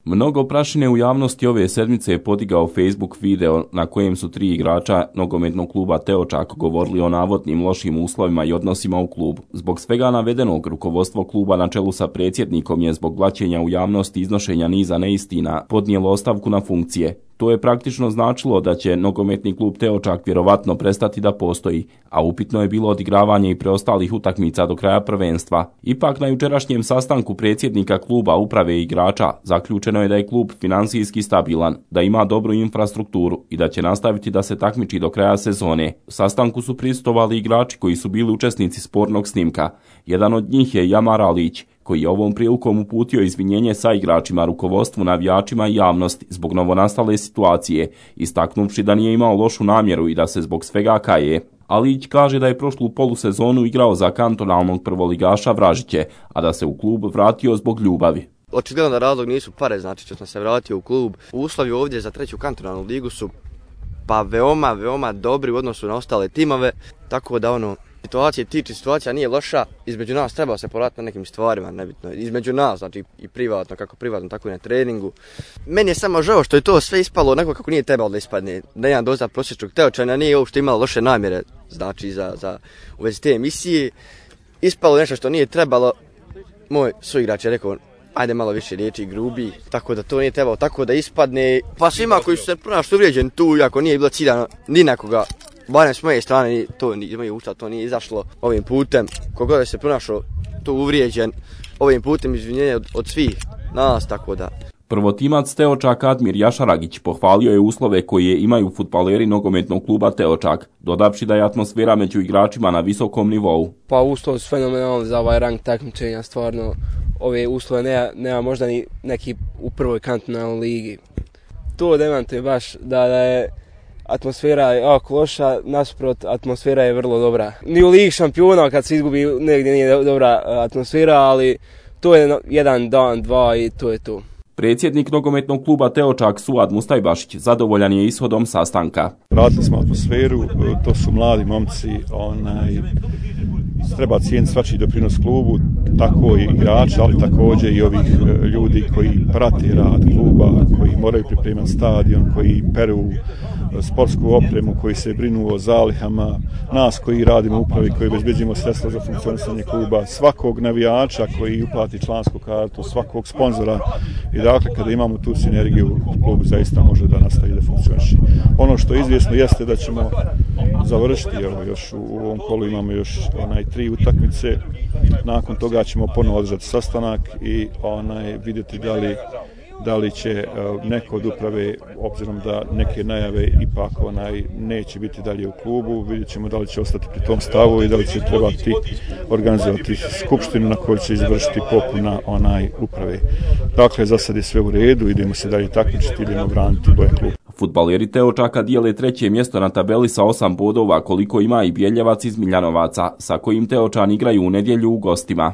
Mnogo prašine u javnosti ove sedmice je podigao Facebook video na kojem su 3 igrača nogometnog kluba Teočak govorili o navodnim lošim uslovima i odnosima u klubu. Zbog svega navedenog, rukovodstvo kluba na čelu sa predsjednikom je zbog blaćenja u javnosti iznošenja niza neistina podnijelo ostavku na funkcije. To je praktično značilo da će nogometni klub Teočak vjerovatno prestati da postoji, a upitno je bilo odigravanje i preostalih utakmica do kraja prvenstva. Ipak na jučerašnjem sastanku predsjednika kluba, uprave i igrača zaključeno je da je klub finansijski stabilan, da ima dobru infrastrukturu i da će nastaviti da se takmiči do kraja sezone. U sastanku su prisustvovali igrači koji su bili učesnici spornog snimka. Jedan od njih je Jamar Alić, koji je ovom prilikom uputio izvinjenje sa igračima, rukovodstvu, navijačima i javnosti zbog novonastale situacije, istaknuvši da nije imao lošu namjeru i da se zbog svega kaje. Alić kaže da je prošlu polusezonu igrao za kantonalnog prvoligaša Vražiće, a da se u klub vratio zbog ljubavi. Očigledno da razlog nisu pare, znači što sam se vratio u klub. Uslovi ovdje za 3. kantonalnu ligu su pa veoma dobri u odnosu na ostale timove, tako da situacija nije loša, između nas treba se poraditi na nekim stvarima, nebitno, između nas, znači i privatno, kako privatno, tako i na treningu. Meni je samo žao što je to sve ispalo onako kako nije trebalo da ispadne, da jedan doza prosječnog Teočana nije uopšte imala loše namjere, znači u vezi te emisije. Ispalo nešto što nije trebalo, moj suigrač je rekao, ajde malo više riječi i grubi, tako da to nije trebalo tako da ispadne. Pa svima koji su se pronašli uvrijeđeni tu, iako nije bilo ciljano ni nekoga, barem s moje strane, to nije izašlo ovim putem. Kogod je se pronašao tu uvrijeđen, ovim putem izvinjenje od svih nas, tako da. Prvotimac Teočak Admir Jašaragić pohvalio je uslove koje imaju fudbaleri nogometnog kluba Teočak, dodavši da je atmosfera među igračima na visokom nivou. Pa uslovi su fenomenalni za ovaj rang takmičenja, stvarno. Ove uslove nema možda ni neki u prvoj kantonalnoj ligi. To demantuje baš da je atmosfera jako loša, nasuprot atmosfera je vrlo dobra. Ni u ligi šampiona kad se izgubi negdje nije dobra atmosfera, ali to je jedan dan, dva i to je to. Predsjednik nogometnog kluba Teočak Suad Mustajbašić zadovoljan je ishodom sastanka. Vratili smo atmosferu, to su mladi momci, treba cijeniti svačiji doprinos klubu, tako i igrači, ali također i ovih ljudi koji prate rad kluba, koji moraju pripremati stadion, koji peru sportsku opremu, koji se brinu o zalihama, nas koji radimo u upravi, koji obezbeđujemo sredstva za funkcionisanje kluba, svakog navijača koji uplati člansku kartu, svakog sponzora. I dakle, kada imamo tu sinergiju, klub zaista može da nastavi da funkcioniše. Ono što je izvjesno jeste da ćemo završiti, još u ovom kolu imamo još 3 utakmice, nakon toga ćemo ponovo održati sastanak i vidjeti da li će neko od uprave, obzirom da neke najave ipak neće biti dalje u klubu, vidjet ćemo da li će ostati pri tom stavu i da li će trebati organizovati skupštinu na kojoj će izvršiti popuna uprave. Dakle, za sad je sve u redu, idemo se dalje takmičiti, idemo braniti boje kluba. Fudbaleri Teočaka dijele 3. mjesto na tabeli sa 8 bodova, koliko ima i Bjeljevac iz Miljanovaca, sa kojim Teočani igraju u nedjelju u gostima.